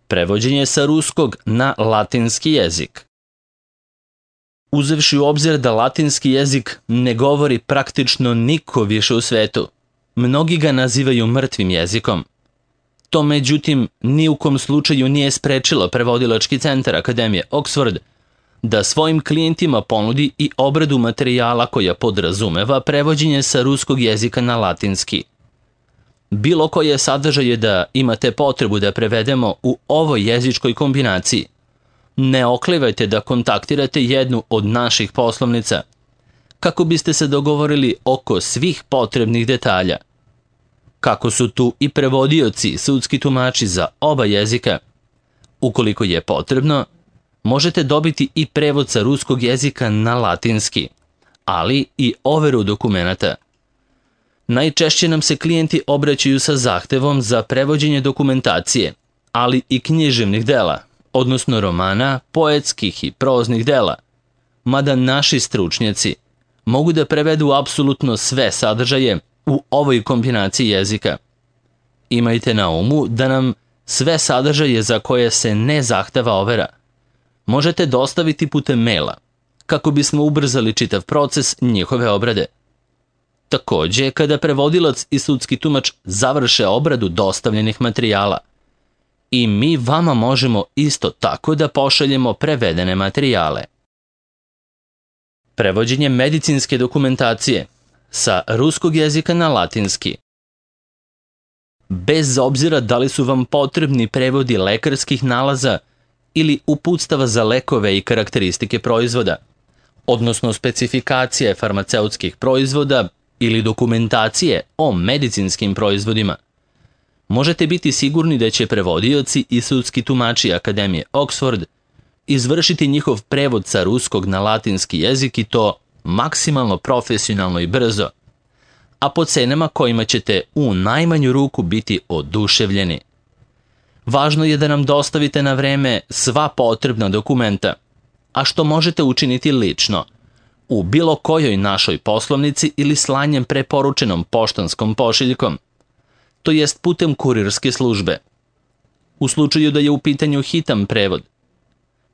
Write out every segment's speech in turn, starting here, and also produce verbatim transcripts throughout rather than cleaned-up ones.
Prevođenje sa ruskog na latinski jezik. Uzevši u obzir da latinski jezik ne govori praktično niko više u svetu, mnogi ga nazivaju mrtvim jezikom. To, međutim, ni u kom slučaju nije sprečilo prevodilački centar Akademije Oxford da svojim klijentima ponudi i obradu materijala koja podrazumeva prevođenje sa ruskog jezika na latinski. Bilo koje sadržaje da imate potrebu da prevedemo u ovoj jezičkoj kombinaciji, ne oklevajte da kontaktirate jednu od naših poslovnica kako biste se dogovorili oko svih potrebnih detalja. Kako su tu i prevodioci, sudski tumači za oba jezika, ukoliko je potrebno, možete dobiti i prevod sa ruskog jezika na latinski, ali i overu dokumenata. Najčešće nam se klijenti obraćaju sa zahtevom za prevođenje dokumentacije, ali i književnih dela, odnosno romana, poetskih i proznih dela, mada naši stručnjaci mogu da prevedu apsolutno sve sadržaje u ovoj kombinaciji jezika. Imajte na umu da nam sve sadržaje za koje se ne zahteva overa možete dostaviti putem maila, kako bismo ubrzali čitav proces njihove obrade. Takođe, kada prevodilac i sudski tumač završe obradu dostavljenih materijala, i mi vama možemo isto tako da pošaljemo prevedene materijale. Prevođenje medicinske dokumentacije sa ruskog jezika na latinski. Bez obzira da li su vam potrebni prevodi lekarskih nalaza ili uputstava za lekove i karakteristike proizvoda, odnosno specifikacije farmaceutskih proizvoda ili dokumentacije o medicinskim proizvodima, možete biti sigurni da će prevodioci i sudski tumači Akademije Oxford izvršiti njihov prevod sa ruskog na latinski jezik i to maksimalno profesionalno i brzo, a po cenama kojima ćete u najmanju ruku biti oduševljeni. Važno je da nam dostavite na vreme sva potrebna dokumenta, a što možete učiniti lično, u bilo kojoj našoj poslovnici ili slanjem preporučenom poštanskom pošiljkom, to jest putem kurirske službe. U slučaju da je u pitanju hitan prevod,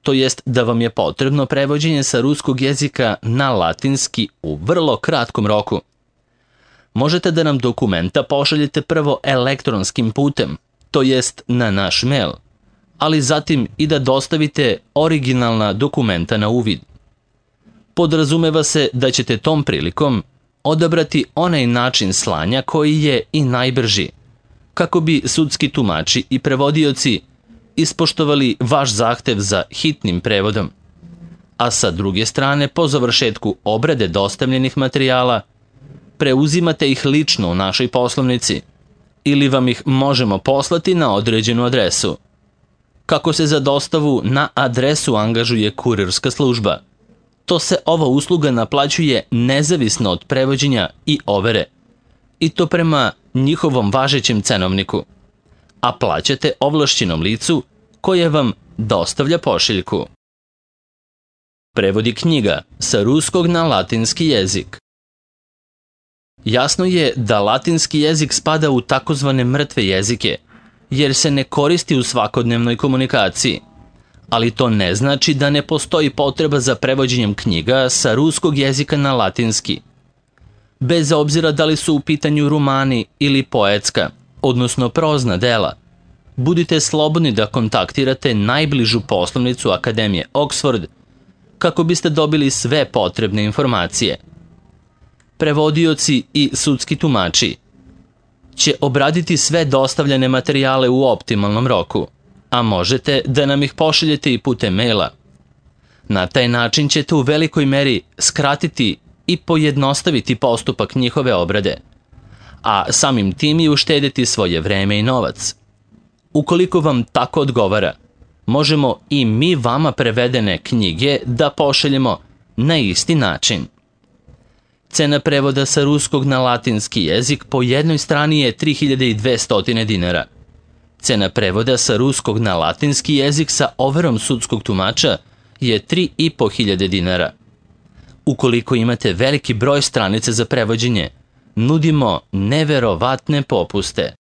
to jest da vam je potrebno prevođenje sa ruskog jezika na latinski u vrlo kratkom roku, možete da nam dokumenta pošaljete prvo elektronskim putem, to jest na naš mail, ali zatim i da dostavite originalna dokumenta na uvid. Podrazumeva se da ćete tom prilikom odabrati onaj način slanja koji je i najbrži, kako bi sudski tumači i prevodioci ispoštovali vaš zahtev za hitnim prevodom, a sa druge strane, po završetku obrade dostavljenih materijala, preuzimate ih lično u našoj poslovnici ili vam ih možemo poslati na određenu adresu. Kako se za dostavu na adresu angažuje kurirska služba, to se ova usluga naplaćuje nezavisno od prevođenja i overe, i to prema njihovom važećem cenovniku, a plaćate ovlašćenom licu koje vam dostavlja pošiljku. Prevodi knjiga sa ruskog na latinski jezik. Jasno je da latinski jezik spada u takozvane mrtve jezike, jer se ne koristi u svakodnevnoj komunikaciji, ali to ne znači da ne postoji potreba za prevođenjem knjiga sa ruskog jezika na latinski. Bez obzira da li su u pitanju romani ili poetska, odnosno prozna dela, budite slobodni da kontaktirate najbližu poslovnicu Akademije Oxford kako biste dobili sve potrebne informacije. Prevodioci i sudski tumači će obraditi sve dostavljene materijale u optimalnom roku, a možete da nam ih pošaljete i putem maila. Na taj način ćete u velikoj meri skratiti i pojednostaviti postupak njihove obrade, a samim tim i uštediti svoje vreme i novac. Ukoliko vam tako odgovara, možemo i mi vama prevedene knjige da pošaljemo na isti način. Cena prevoda sa ruskog na latinski jezik po jednoj strani je tri hiljade dvesta dinara. Cena prevoda sa ruskog na latinski jezik sa overom sudskog tumača je tri i po hiljade dinara. Ukoliko imate veliki broj stranica za prevođenje, nudimo neverovatne popuste.